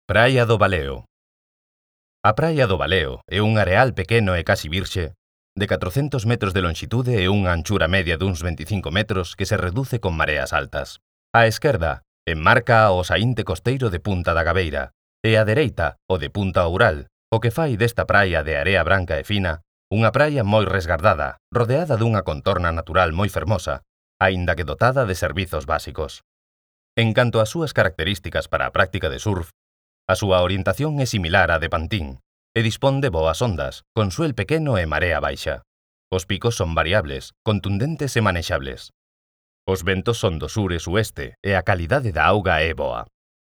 Praia do Baleo. A Praia do Baleo é un areal pequeno e casi virxe, de 400 metros de lonxitude e unha anchura media duns 25 metros que se reduce con mareas altas. Á esquerda, enmarca o saínte costeiro de Punta da Gabeira, e á dereita, o de Punta Oural, o que fai desta praia de area branca e fina unha praia moi resgardada, rodeada dunha contorna natural moi fermosa, aínda que dotada de servizos básicos. En canto ás súas características para a práctica de surf, a súa orientación é similar á de Pantín, e dispón de boas ondas, con suel pequeno e marea baixa. Os picos son variables, contundentes e manexables. Os ventos son do sur e sueste, e a calidade da auga é boa.